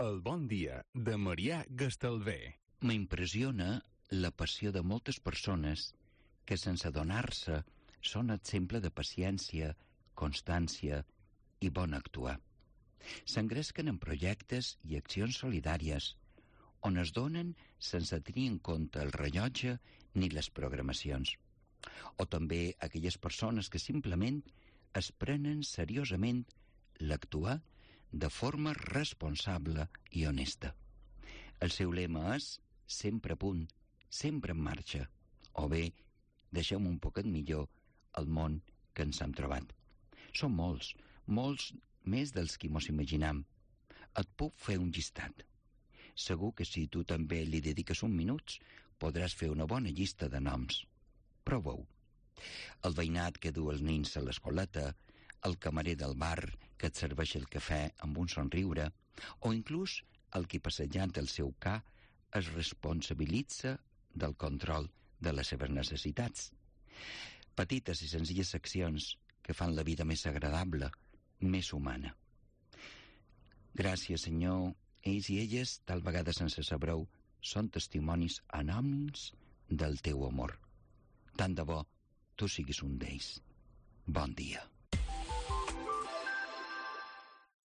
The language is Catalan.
El bon dia de Marià Gastalver. M'impressiona la passió de moltes persones que, sense adonar-se, són exemple de paciència, constància i bon actuar. S'engresquen en projectes i accions solidàries on es donen sense tenir en compte el rellotge ni les programacions. O també aquelles persones que simplement es prenen seriosament l'actuar de forma responsable i honesta. El seu lema és sempre a punt, sempre en marxa, o bé deixem un poquet millor el món que ens hem trobat. Són molts, molts més dels que mos imaginam. Et puc fer un llistat. Segur que si tu també li dediques un minut, podràs fer una bona llista de noms. Prova-ho. El veïnat que du els nins a l'escoleta, el camarer del bar que et serveix el cafè amb un somriure, o inclús el que passejant el seu ca es responsabilitza del control de les seves necessitats. Petites i senzilles accions que fan la vida més agradable, més humana. Gràcies, Senyor. Ells i elles, tal vegada sense saber-ho, són testimonis anònims del teu amor. Tant de bo tu siguis un d'ells. Bon dia.